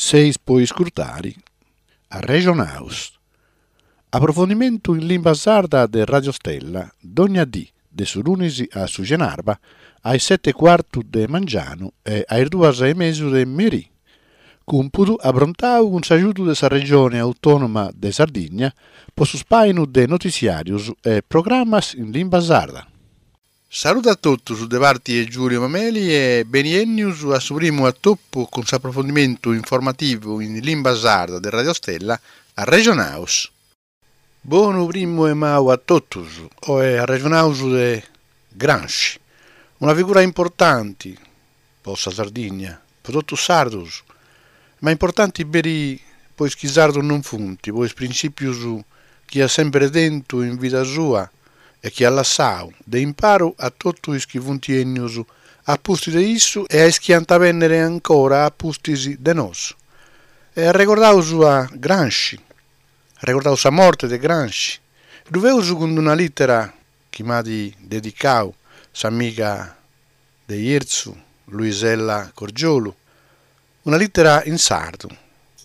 Seis po iscurtari Arrexonaus. Aprofondimentu in limba sarda de Radio Stella, dogna dì, de su lunis a su cenarba, a is seti e cuartu de mangianu e a is duas e mesu de merì. Cumpudu aprontau cun s'agiudu de sa Regione Autònoma de Sardigna po su spàinu de notitziàrius e programas in limba sarda. Saludu a totus de parti 'e Giulio Mameli e beni 'ennius a su primu atopu cun s'aprofondimentu informativu in limba sarda de Radio Stella Arrexonaus. Bonu primu 'e maju a totus, oe arrexonaus de Gramsci, una figura importanti po sa Sardigna, po totus is sardus, ma importanti peri po is chi sardus non funt, po is printzìpius chi at sempri tentu in vida sua e chi at lassau de imparu a totu is chi funt 'ennius a pustis de issu e a is chi ant a bènnere ancora a pustis de nosu. E arregordaus a Gramsci, arregordaus sa morte de Gramsci, ddu feus cun d'una lìtera chi m'at dedicau s'amiga de Jerzu, Luisella Corgiolu, una lìtera in sardu,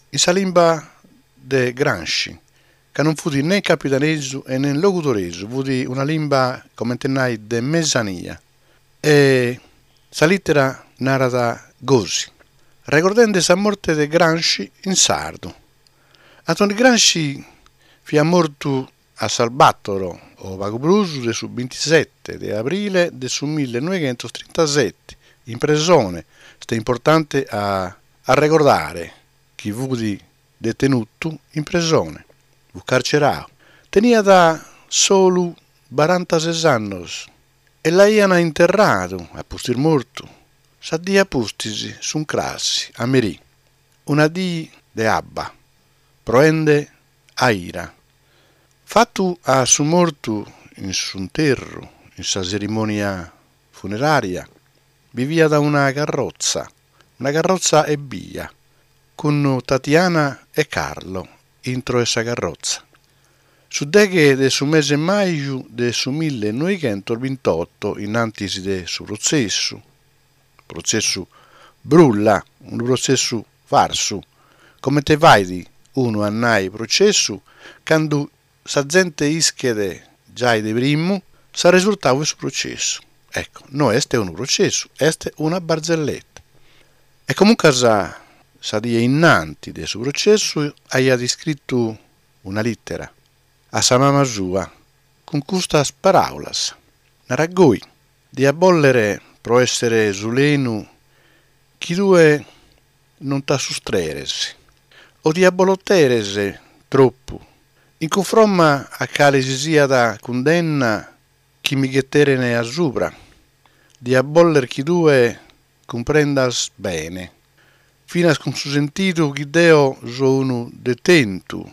in sa limba de Gramsci, ca non fut nen campidanesu e nen logudoresu, fut una limba, comente nai, de mesania. E sa lìtera narat gosi, regordende sa morte de Gramsci in sardu. Antoni Gramsci fiat mortu a sas bator o pagu prus de su bintisete de abrile de su millenoighentostrintasete, in presone, est importante a arregordare chi fut detenutu in presone, fut carcerau. Teniat solu barantases annos e l'aian interradu, a pustis mortu, sa die a pustis, s'uncras, a merì, una die de abba, proende a ira. Fatu a su mortu in s'interru, in sa tzerimònia funerària, bi fiat una carrotza, una carrotza ebbia, cun Tatiana e Carlo intro 'e sa carrotza. Su deghe de su mese maju de su millenoighentosbintotto, in antis de su protzessu, protzessu brulla, unu protzessu farsu, comente fait unu a nai processu candu sa zente ischet giai de primu s'arresurtau 'e su processu. Ecco, no est unu processu, est una barzelletta. E comuncas sa die innanti de su processu aiat iscritu una littera a sa mama sua cun custas paraulas, narat goi, Dia bòlere pro èssere sulenu chi tue non t'assustreres o ti abboloteres tropu in cunfromma a cale si siat cundenna chi mi gheteren a subra. Dia bòlere chi tue cumprendas bene, finas cun su sentidu chi deo so unu detentu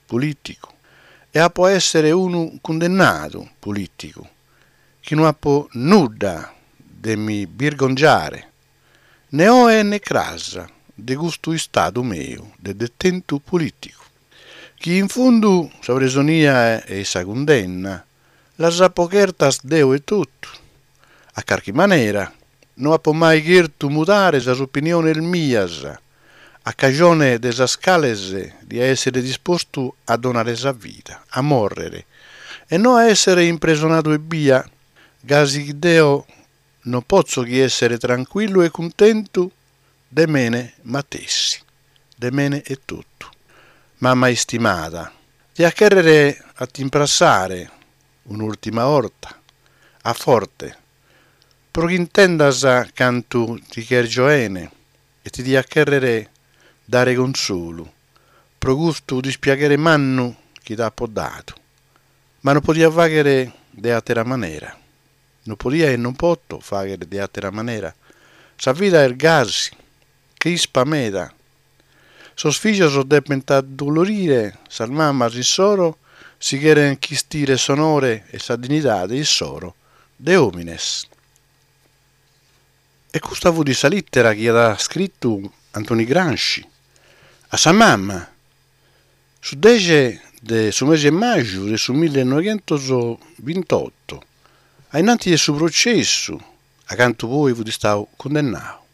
polìticu e apo a èssere unu cundennadu polìticu, chi no apo nudda de mi birgongiare, ne oe ne cras, de custu istadu meu de detentu polìticu, chi in fundu sa presonia e sa cundenna las apo chertas deo etotu. A carchi manera, no apo mai chertu mudare sas opiniones mias, a cajone de sas cales dia èssere dispostu a donare sa vida, a mòrrere, e no a èssere impresonadu ebbia, gasi chi deo non potzo chi èssere trancuillu e cuntentu de mene matessi, de mene etotu. Mama istimada, dia chèrrere a t'imprassare un'ùrtima 'orta, a forte, pro chi intendas cantu ti chèrgio 'ene e ti dia chèrrere dare consolu pro custu dispiaghere mannu chi t'apo dadu. Ma non podia fàghere de àtera manera. Non podia e non poto fàghere de àtera manera. Sa vida est gasi, crispa meda. Sos fìgios depent addolorire sas mamas issoro si cherent chistire s'onore e sa dignidade issoro de òmines. E custa fut sa lìtera chi at scritu Antoni Gramsci a sa mama su dexe de su mese 'e maju de su millenoighentosbintotto, a innanti de su processu, a cantu poi fut istau cundennau.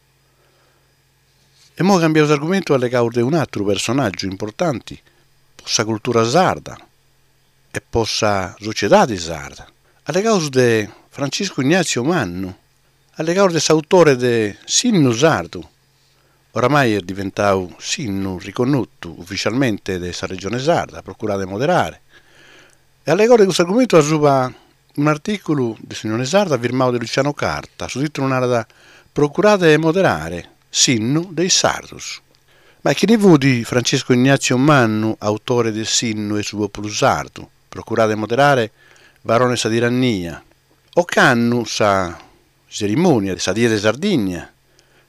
E imoi cambiaus argumentu e allegaus de un'atru personàgiu importanti po sa cultura sarda e po sa sociedadi sarda. Allegaus de Franciscu Ignazio Mannu, allegaus de s'autore de S'innu sardu, oramai est diventau s'innu riconnotu ufficialmente de sa Regione Sarda, Procurade 'e moderare. E allegaus de custu argumentu asuba un'artìculu de s'Unione Sarda firmau de Luciano Carta, su tìtulu narat Procurade 'e moderare, s'innu de is sardos. Ma chini fut Francisco Ignazio Mannu, autore de S'innu 'e su pòpulu sardu, Procurade 'e moderare, Barone 'e sa tirannia? Ocannu sa tzerimònia de sa Die de Sardigna,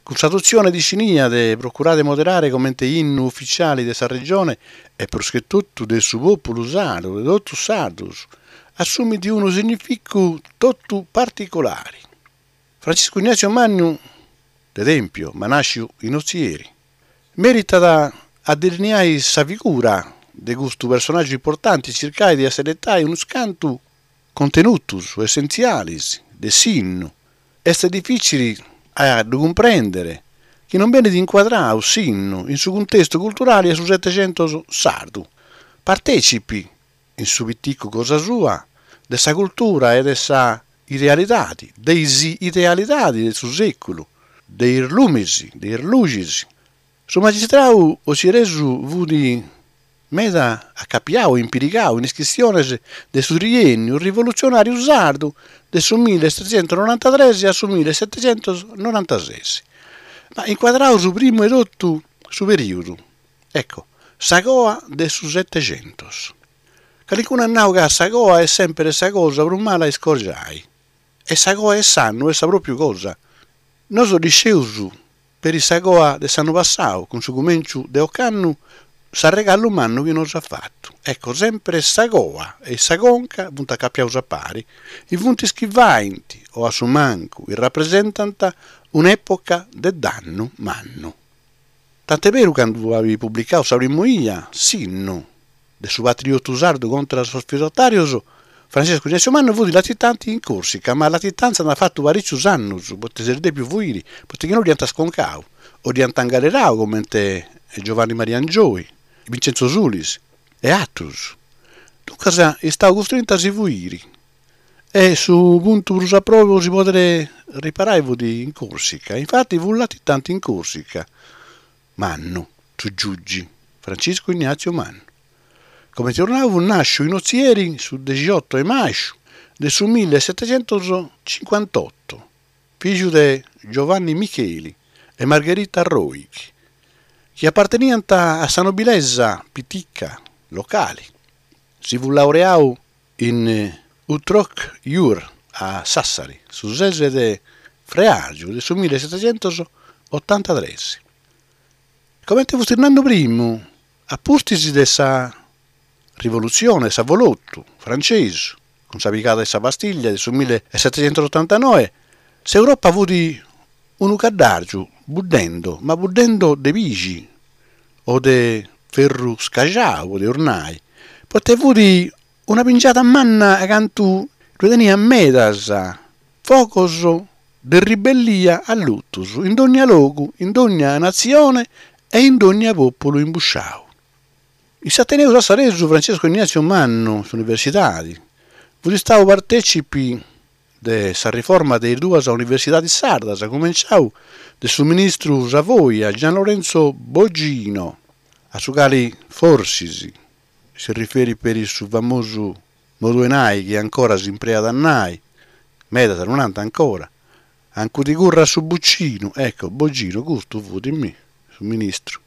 cun s'adotzione dixinia de Procurade 'e moderare comente innu ufitziali de sa Regione e prus che totu de su pòpulu sardu, de totus is sardos, assumit unu significu totu particulari. Franciscu Ignazio Mannu de Tempio, ma nàsciu in Ozieri, meritat a delineai sa figura de custu personàgiu importanti e circai de asseretai unus cantu contenutus essentzialis de s'innu, est difìcili a ddu cumprèndere chi non benit incuadrau s'innu in su cuntestu culturali 'e su Setexentos sardu, partècipi in su piticu cosa sua de sa cultura e de sa idealidadi, de is idealidadi de su sèculu, de is lumis, de is luxis. Su magistrau otzieresu fut meda acapiau e impirigau in is chistiones de su triènniu rivolutzionàriu sardu de su millesetexentusnorantatres a su millesetexentusnorantases. Ma incuadraus primu 'e totu su perìudu, ecco, sa coa de su Setexentos. Calincunu at nau ca sa coa est sèmpere sa cosa prus mala a iscorgiai. E sa coa 'e s'annu est sa pròpiu cosa. Nosu dd'iscieus Peri sa coa de s'annu passau, cun su cumenciu de ocannu, s'arregallu mannu chi nos at fatu. Ecco, sempre sa coa e sa conca funt acapiaus a pari, e funt is chi faint, o a su mancu rapresentant, un'epoca de dannu mannu. Tant'e beru candu at publicau sa primu 'ia, s'innu de su patriotu sardu contra sos feudatàrios, Frantziscu Ignazio Mannu fut latitanti in Còrsica, ma latitanza nd'at fatu parìcius annus, poita s'est dèpiu fuiri, poita chi no dd'iant sconcau o dd'iant ingalerau comente Giovanni Maria Angioy, Vincenzo Sulis e atrus. Duncas est istau custrintu a si fuiri e su puntu prus a probe po si pòdere riparai fut in Còrsica, infati fut latitanti in Còrsica. Mannu, su giugi, Franciscu Ignazio Mannu. Comenti eus nau fut nàsciu in Ozieri su dexioto 'e màsciu de su millesetexentuscincuantoto, fìgiu de Giovanni Micheli e Margherita Roighi, chi aparteniant a sa nobilesa pitica locali. Si fut laureau in utroque jure a Sassari, su ses de freàrgiu de su millesetexentusotantatres. Comente fustis nandu primu, a pustis de sa rivolutzione, s'avolotu francesu, cun sa pigada 'e sa Bastiglia de su millesetexentusotantanoe, s'Europa fut unu caddàrgiu buddendo, ma buddendo de pixi o de ferru scaxau, podeus nai, poita fut una pingiada manna acantu ddue teniat medas fogos de ribellia allutus in dogna logu, in dogna natzione e in dogna pòpulu imbusciau. In s'Ateneu Sassaresu Francesco Ignazio Mannu, s'universidadi, fut istau partècipi de sa riforma de is duas universidadis sardas, cumenciau de su ministru Savoia Gian Lorenzo Bogino, a su cali forsis si riferit peri su famosu modu 'e nai chi ancora s'impreat a nai, medas ddu nant ancora, ancu ti currat su bucinu, ecco, Bogino custu fut, mi, su ministru.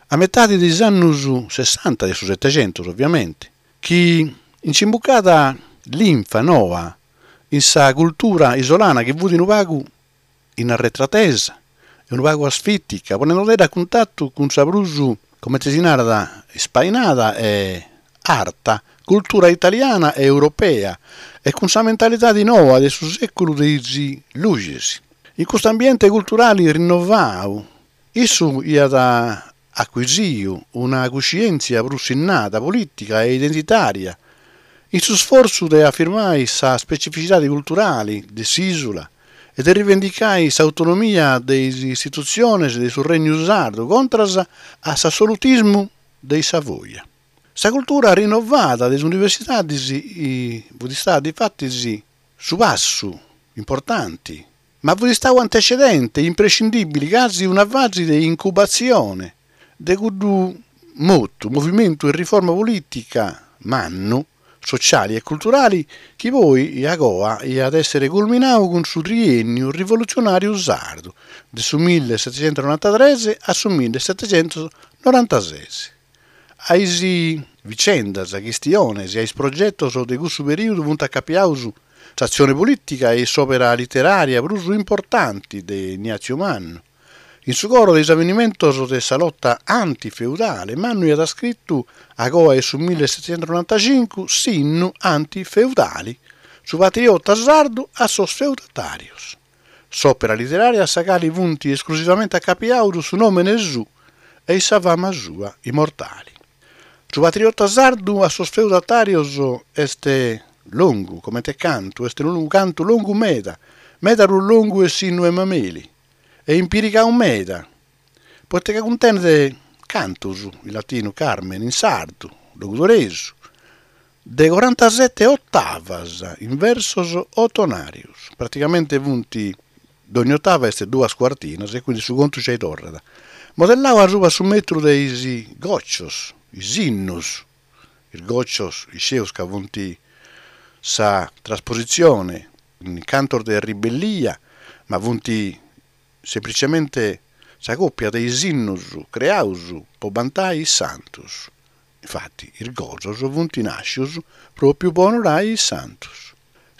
A metadi de is annus sessanta de su Setexentus, ovviamenti, chi nci imbucàt linfa noa in sa cultura isolana chi fut unu pagu in arretratesa e unu pagu asfìtica, ponendodedda a cuntatu cun sa prus, comente si narat, ispainada e arta cultura italiana e europea e cun sa mentalidadi noa de su sèculu de is luxis. In custu ambiente culturali rinnovau, issu iat acuisiu una cuscièntzia prus sinnada, polìtica e identitària, in su sfortzu de afirmai sa specificidadi culturali de s'ìsula. e de rivendicai s'autonomia de is istitutziones de su Regnu Sardu contras a s'assolutismu de is Savoia. Sa cultura rinnovada de is universidadis fut istada difatis su passu importanti, ma fut istau antecedente imprescindibili casi una fasi de incubatzione de cuddu motu, movimentu 'e riforma politica mannu, sociali e culturali chi poi agoa iat èssere culminau cun su triènniu rivolutzionàriu sardu de su millesetechentonorantatres a su millesetechentonorantases. A is vicendas, chistiones e a is progetos de cussu perìodu funt acapiaus s'atzione polìtica e s'òpera literària prus importanti de Ignazio Mannu. In su coro de is avenimentos de sa lota antifeudale, Mannu iat scritu, agoa 'e su millesetechentonorantacincu, s'innu antifeudali, Su patriota sardu a sos feudatàrios. S'òpera literària a sa cali funt esclusivamente acapiaus su nòmene suu e sa fama sua immortali. Su patriota sardu a sos feudatàrios est longu comente cantu, est unu cantu longu meda, meda prus longu 'e s'innu 'e Mameli, e impirigau meda, poita ca cuntenet cantus, in latinu carmen, in sardu, logudoresu, de corantasete otavas in versos otonàrios, praticamente funt, dogni otava est duas cuartinas e quindi su contu giai torrat, modellau asuba su metru de is gòcios, is innus, is gòcios iscieus ca funt sa traspositzione in cantos de ribellia, ma funt semplicemente sa còpia de is innus creaus po bantai is santus. Infati is gosos funt nàscius pròpiu po onorai is santus.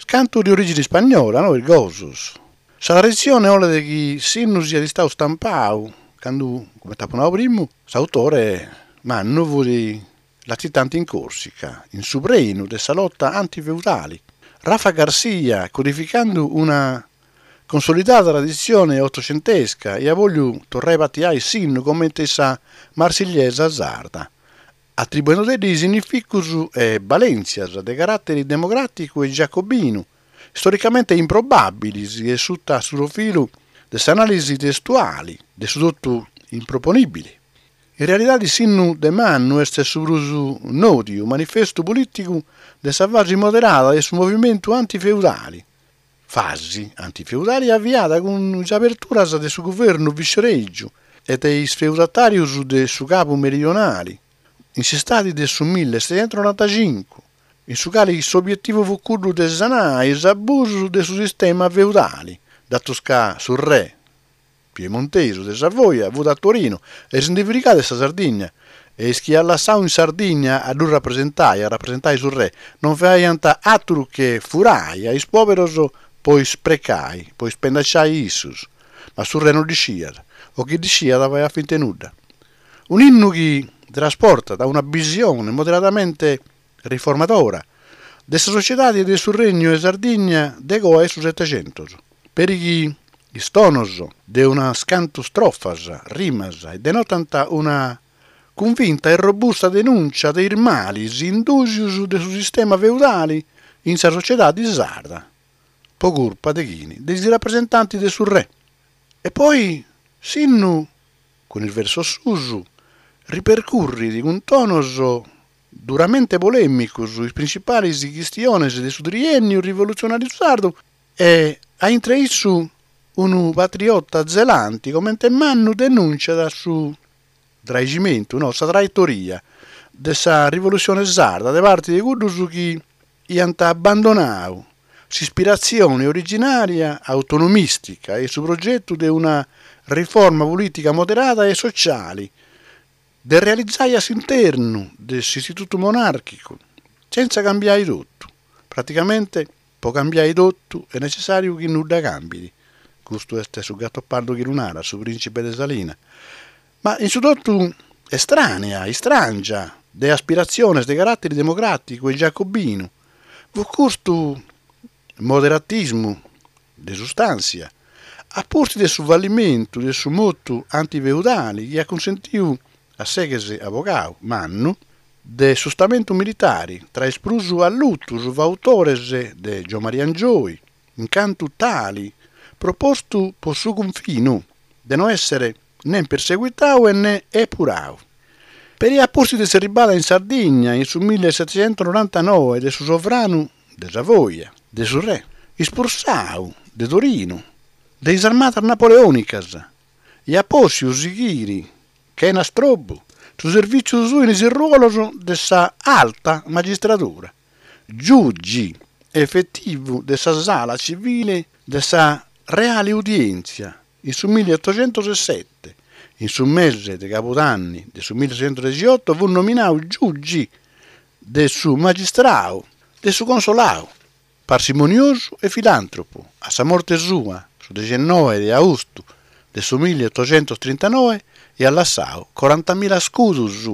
Cantu de orìgini ispagnola, no is gosos. Sa traditzione 'olet chi s'innu siat istau stampau candu, comente apo nau primu, s'autore Mannu fut latitanti in Còrsica, in su prenu de sa lota antifeudali. Raffa Garzia, codificandu una consolidada traditzione otocentesca, iat bòlliu torrai a batiai s'innu comente sa Marsigliesa sarda, atribuendodeddi significus e balèntzias de caràteri democràticu e giacobinu, storicamente improbàbilis e suta su profilu de s'anàlisi testuali de su totu improponìbili. In realidadi s'innu de Mannu est su prus nòdiu manifestu polìticu de sa fasi moderada de su movimentu antifeudali, fasi antifeudali aviada cun is aberturas de su guvernu vicerègiu e de is feudatàrius de su Capu Meridionali in s'istadi de su millesetechentonorantacincu, in su cali s'obietivu fut cuddu de sanai is abusus de su sistema feudali, datus ca su re piemontesu de Savoia fut a Torino e si ndi frigàt de sa Sardigna e is chi iat lassau in Sardigna a ddu rapresentai, a rapresentai su re, non faiant àturu che furai a is pòberos po isprecai, po ispendaciai issus, ma su re non ddu sciiat, o chi ddu sciiat faiat finta 'e nudda. Un'innu chi trasportat una bisione moderadamente riformadora de sa sociedade de su Regnu 'e Sardigna de coa 'e su Setecentos, peri chi is tonos de unas cantu strofas, rimas, denotant una cunvinta e robusta denùncia de is malis indùsius de su sistema feudali in sa sociedade sarda, po curpa de chini? De is rapresentantis de su re. E poi s'innu cun is versos suus, ripercurrit cun tonos duramente polèmicos is printzipales chistiones de su triènniu rivolutzionàriu sardu e, a intre issu, unu patriota zelanti comente Mannu denùntziat su traiximentu, no, sa traitoria de sa rivolutzione sarda de parti de cuddos chi iant abbandonau s'ispiratzione originària autonomìstica e su progetu de una riforma polìtica moderada e sociali de realizai a s'internu de s'istitutu monàrchicu, sentza cambiai totu. Praticamente, po cambiai totu est necessàriu chi nudda cambit. Custu est su Gattopardo chi lu narat, su prìncipe de Salina. Ma in su totu estrànea, istràngia, de aspiratziones de caràteri democràticu e giacobinu, fut custu moderatismu de sustàntzia, a pustis de su fallimentu de su motu antifeudali chi at cunsentiu a s'ex abogau mannu de su Stamentu militari, tra is prus allutus fautores de Giommaria Angioy, in cantu tali. propostu po su cunfinu, de no èssere nen perseguitau e ne epurau. Peri a pustis de s'erribada in Sardigna in su millisetechentonorantanoe de su sovranu de Savoia, de su re, ispulsau de Torinu de is armadas napoleònicas, iat pòssiu sighiri chena strobu su servìtziu suu in is ruolos de sa alta magistradura, giugi efetivu de sa sala civile de sa Reale Udièntzia in su milliottoxentosesete, in su mese de cabudanni de su milliottoxentodexioto fut nominau giugi de su magistrau de su Consolau. Parsimoniosu e filàntropu, a sa morte sua, su dexenoe de austu de su milliottoxentostintanoe, iat lassau corantamila scudus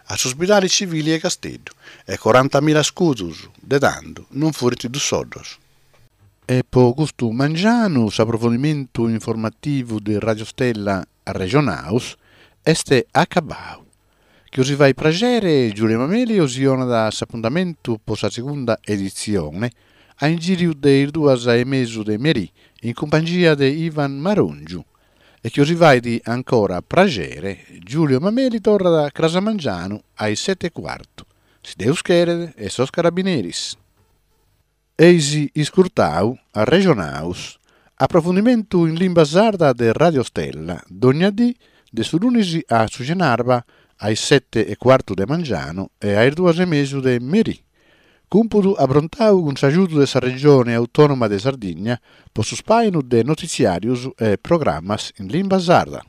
a s'Ospidali Civili 'e Casteddu, e corantamila scudus de tando non furint dus soddos. E po custu mangianu s'aprofondimentu informativu de Radio Stella Arrexonaus est acabau. Chi 'osi fait praxere, Giulio Mameli 'osi 'onat s'apuntamentu po sa segunda editzione a ingìriu de is duas e mesu de merì in cumpangia de Ivan Marongiu. E chi 'osi fait ancora praxere, Giulio Mameli torrat cras a mangianu a is sete e cuartu, si Deus cheret e sos carabineris. Eis iscurtau Arrexonaus, aprofundimentu in limba sarda de Radio Stella, dogna dì de su lunis a su cenarba a is sete e cuartu de mangianu e a is duas e mesu de merì. Cumpudu aprontau cun s'agiudu de sa Regione Autònoma de Sardigna po su spàinu de notitziàrius e programas in limba sarda.